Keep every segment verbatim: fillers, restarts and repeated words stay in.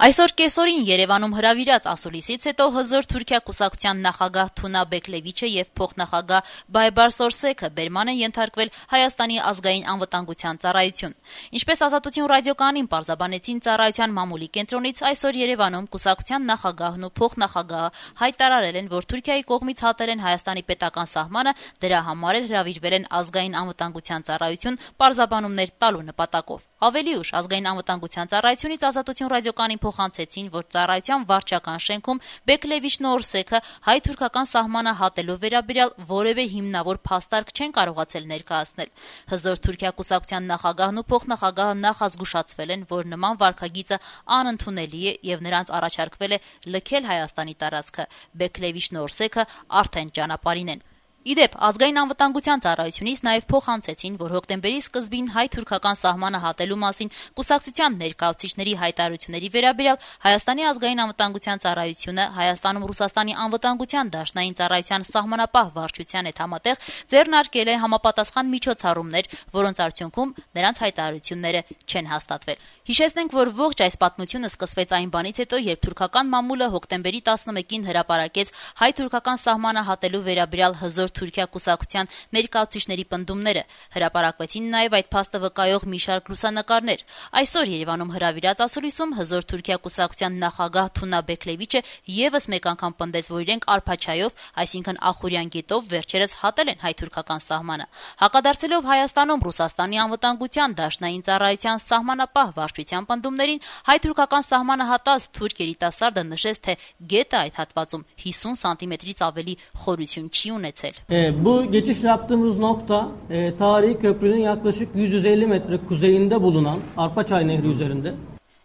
Այսօր կեսօրին Երևանում հրավիրած ասուլիսից հետո հզոր Թուրքիա կուսակցության նախագահ Թունա Բեկլևիչը եւ փոխնախագահ Բայբարս Օրսեքը բերման են ենթարկվել Հայաստանի ազգային անվտանգության ծառայություն։ Ինչպես Ազատություն ռադիոկայանին պարզաբանեցին ծառայության մամուլի կենտրոնից, այսօր Երևանում կուսակցության նախագահն ու փոխնախագահը հայտարարել են, որ Թուրքիայի կողմից հատել են Հայաստանի պետական սահմանը, դրա համար էլ հրավիրվել են ազգային անվտանգության ծառայություն պարզաբանումներ տալու նպատակով։ Ավելի ուշ ազգային անվտանգության ծառայությունից Ազատություն ռադիոկայանին փոխանցեցին, որ ծառայության վարչական շենքում Բեկլևիչն ու Օրսեքը հայ-թուրքական սահմանը հատելու վերաբերյալ որևէ հիմնավոր փաստարկ չեն կարողացել ներկայացնել։ Հզոր Թուրքիա կուսակցության նախագահն ու փոխնախագահը նախազգուշացվել են, որ նման վարքագիծը անընդունելի է եւ նրանց առաջարկվել է լքել Հայաստանի տարածքը։ Բեկլևիչն ու Օրսեքը արդեն ճանապարհին են։ Իդեպ, ազգային անվտանգության ծառայությունից նաև փոխանցեցին, որ հոկտեմբերի սկզբին հայ-թուրքական սահմանը հատելու մասին կուսակցության ներկայացուցիչների հայտարարությունների վերաբերյալ Հայաստանի ազգային անվտանգության ծառայությունը Հայաստանում Ռուսաստանի անվտանգության դաշնային ծառայության սահմանապահ վարչության հետ համատեղ ձեռնարկել է համապատասխան միջոցառումներ, որոնց արդյունքում նրանց հայտարարությունները չեն հաստատվել։ Հիշեցնենք, որ ողջ այս պատմությունը սկսվեց այն բանից հետո, երբ թուրքական մամուլը հոկտեմբերի տասնմեկին հրապարակեց հայ-թուրքական սահմանը հատելու վերաբերյալ հզոր Թուրքիա կուսակցության ներկայացուցիչների պնդումները, հրապարակվեցին նաև այդ փաստը վկայող մի շարք լուսանկարներ։ Այսօր Երևանում հրավիրած ասուլիսում հզոր Թուրքիա կուսակցության նախագահ Թունա Բեկլևիչը եւս մեկ անգամ պնդեց, որ իրենք արփաչայով, այսինքն Ախուրյան գետով վերջերս հատել են հայ-թուրքական սահմանը։ Հակադարձելով Հայաստանում Ռուսաստանի անվտանգության դաշնային ծառայության սահմանապահ վարչության պնդումներին, հայ-թուրքական սահմանը հատած թուրք երիտասարդը նշեց, թե գետը այդ հատվածում հիսուն սանտիմետրից ավելի խորություն չի ունեցել. E, bu geçiş yaptığımız nokta e, tarihi köprünün yaklaşık yüz yüz elli metre kuzeyinde bulunan Arpaçay Nehri üzerinde.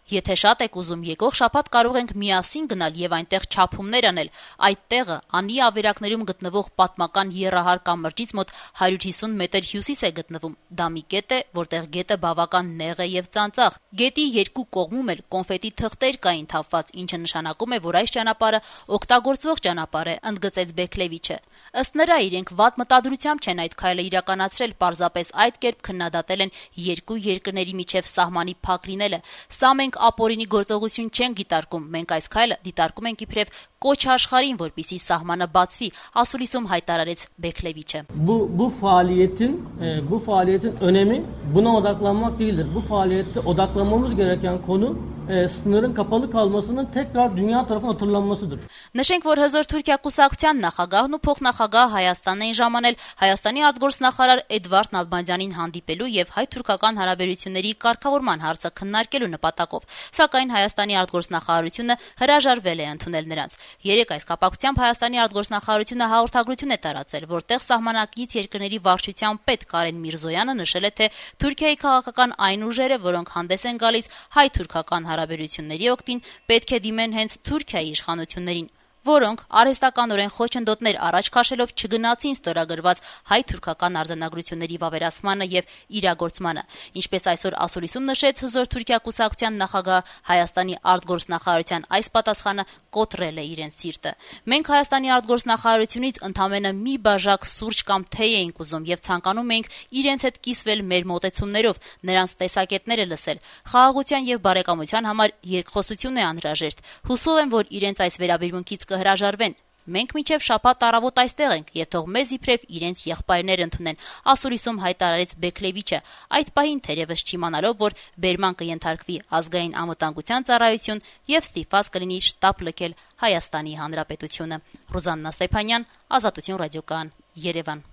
Եթե շատ եք ուզում, եկող շաբաթ կարող ենք միասին գնալ եւ այնտեղ չափումներ անել։ Այդ տեղը անի ավերակներում գտնվող պատմական եռահար կամրջից մոտ հարյուր հիսուն մետր հյուսիս է գտնվում։ Դա մի կետ է, որտեղ գետը բավական նեղ է եւ ծանծաղ։ Գետի երկու կողմում էլ կոնֆետի թղթեր կային թափված, ինչը նշանակում է, որ այս ճանապարհը օգտագործվող ճանապարհ է, ընդգծեց Բեկլևիչը։ Ըստ նրա, իրենք վատ մտադրությամբ չեն այդ քայլը իրականացրել, պարզապես այդ կերպ քննադատել են երկու երկրների միջև սահմանի փակ լինելը։ Սա մենք ապօրինի գործողություն չենք դիտարկում, մենք այս քայլը դիտարկում ենք իբրև կոչ աշխարհին, որպեսզի սահմանը բացվի, ասուլիսում հայտարարեց Բեկլևիչը։ Bu bu faaliyetin e, bu faaliyetin önemi buna odaklanmak değildir. Bu faaliyette odaklanmamız gereken konu e, sınırın kapalı kalmasının tekrar dünya tarafından hatırlanmasıdır. Նշենք, որ հզոր Թուրքիա կուսակցության նախագահն ու փոխնախագահ Հայաստանն էին ժամանել Հայաստանի արտգործնախարար Էդվարդ Նալբանդյանին հանդիպելու եւ հայ-թուրքական հարաբերությունների կարգավորման հարցը քննարկելու նպատակով, սակայն Հայաստանի արտգործնախարարությունը հրաժարվել է ընդունել նրանց։ Երեք այս կապակցությամբ Հայաստանի արտգործնախարարությունը հաղորդագրություն է տարածել, որտեղ սահմանակից երկրների վարչության պետ Կարեն Միրզոյանը նշել է, թե Թուրքիայի քաղաքական այն ուժերը, որոնք հանդես են գալիս հայ-թուրքական հարաբերությունների օգտին, պետք է դիմեն հենց Թուրքիայի իշխանություններին, որոնք արհեստականորեն խոչընդոտներ առաջ քաշելով չգնացին ստորագրված հայ-թուրքական արձանագրությունների վավերացմանը եւ իրագործմանը։ Ինչպես այսօր ասուլիսում նշեց հզոր Թուրքիա կուսակցության նախագահ, Հայաստանի արտգործնախարարության այս պատասխանը կոտրել է իրենց սիրտը։ Մենք Հայաստանի արտգործնախարարությունից ընդամենը մի բաժակ սուրճ կամ թեյ էինք ուզում եւ ցանկանում էինք իրենց հետ կիսվել մեր մոտեցումներով, նրանց տեսակետները լսել։ Խաղաղության եւ բարեկամության համար երկխոսություն է անհրաժեշտ։ Հուսով եմ, որ իրենց այս վերաբերմունքից հրաժարվեն։ Մենք մինչև շաբաթ առավոտ այստեղ ենք եւ թող մեզ իբրև իրենց եղբայրներ ընդունեն, ասուլիսում հայտարարեց Բեկլևիչը, այդ պահին թերևս չիմանալով, որ բերման կենթարկվի ազգային անվտանգության ծառայություն եւ ստիպված կլինի շտաբ լքել Հայաստանի Հանրապետությունը։ Ռուզաննա Ստեփանյան, Ազատություն ռադիոկայան, Երևան։